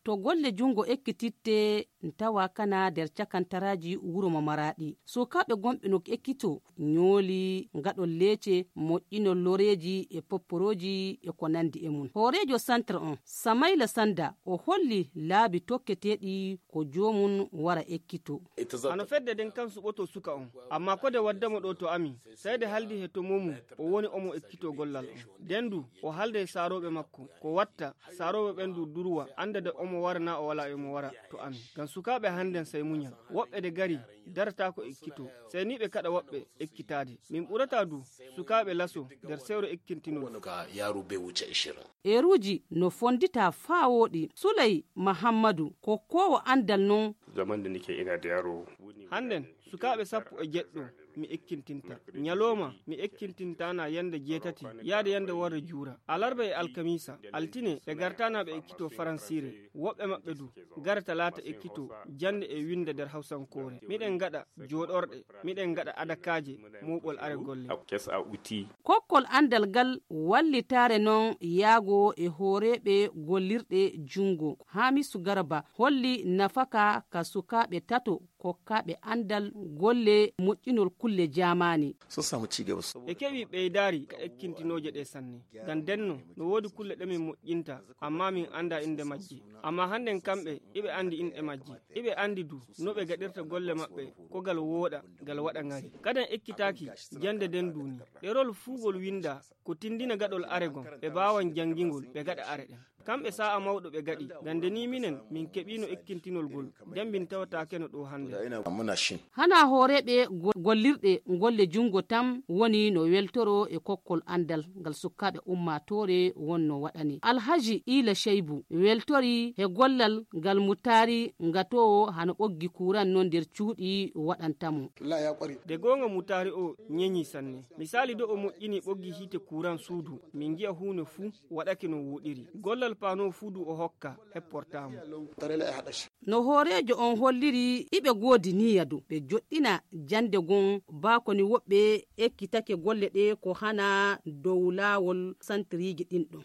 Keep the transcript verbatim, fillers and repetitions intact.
To golle junngo ekkititte, tawa kana nder cakantaraaji wuro mo Maraaɗi. Sukaaɓe gonɓe no ekkito, ñooli, ngaɗol leece, moƴƴinol loreeji e popporooji e ko nanndi e mum. Hooreejo Santre on, Samayla Sannda, o holli laabi tokketeeɗi ko joomum wara ekkito. Hano fedde nden kan suɓoto suka on, amma ko de waddamo ɗo to amin, sey de haldi he to momum o woni omo ekkito gollal on. Nden du, o halda e saarooɓe makko, ko watta saarooɓe ɓen du durwa annda de omo wara na o wala e omo wara to amin. Ngam sukaaɓe hannden sey muñal. Woɓɓe de gari darataako ekkito, sey ni ɓe kaɗa woɓɓe ekkitaade. Min ɓurata du sukaaɓe laso nder sewre ekkintinol. Wano ka yaro bai wuce ishirin. Eeruuji no fonndita faa wooɗi. Suley Mahammadu, ko koowo anndal non. Zaman da nake ina da yaro. Hannden, sukaaɓe sappo e jeɗɗo mi ekkintinta. Ñalooma mi ekkintintaana yande jeetati, yaade yande warre juura. Alarba e alkamiisa, altine ɓe gartaana ɓe ekkito faransiire. Woɓɓe maɓɓe du, gara talaata ekkito jannde e winnda nder hawsankoore. Miɗen ngaɗa jooɗorɗe, miɗen ngaɗa adakaaje mooɓol are golle. Kes a uti. Kokkol anndal ngal wallitaare non yaago e hooreeɓe gollirɗe junngo. Haamisu Garba holli nafaka ka sukaaɓe tato kokkaaɓe anndal golle moƴƴinol kulle jaamaani. Sun samu ci gaba saboda. Ɓe keɓi ɓeydaari ka ekkintinooje ɗe sanne. Ngam denno, no woodi kulle ɗe min moƴƴinta, amma min annda innde majje. Amma hannden kamɓe, iɓe anndi inɗe majje. Iɓe anndi du, no ɓe gaɗirta golle maɓɓe, ko gal wooɗa, gal waɗa ŋari. Kadan ekkitaaki, jannde nden duuni. Ɗerol fuu ngol winnda, ko tinndina gaɗol are gon, ɓe baawan janngingol, ɓe gaɗa are ɗen. Kamɓe saa'a mawɗo ɓe gaɗi, ngam nde ni minen, min keɓiino ekkintinol gol, nden min tawataakeno ɗo hannde. Hanaa hooreeɓe go-, gollirɗe golle junngo tan woni no weltoro e kokkol anndal ngal sukaaɓe ummaatoore wonno waɗani. Alhaji Iila Ceybu weltori he gollal ngal Mutaari ngatoowo hano ɓoggi kuuran non nder cuuɗi waɗanta mo. De goonga Mutaari o ñeñi sanne. Misaali do o moƴƴini ɓoggi hiite kuuran suudu, min ngi'a huune fuu waɗake no wooɗiri. Gollal paano fuu du o hokka, hepportaa mo. No hooreejo on holliri, iɓe goodi niyya dow ɓe joɗɗina jannde gon, baa ko ni woɓɓe ekkitake golle ɗe ko hana dow laawol santiriiji ɗin ɗon.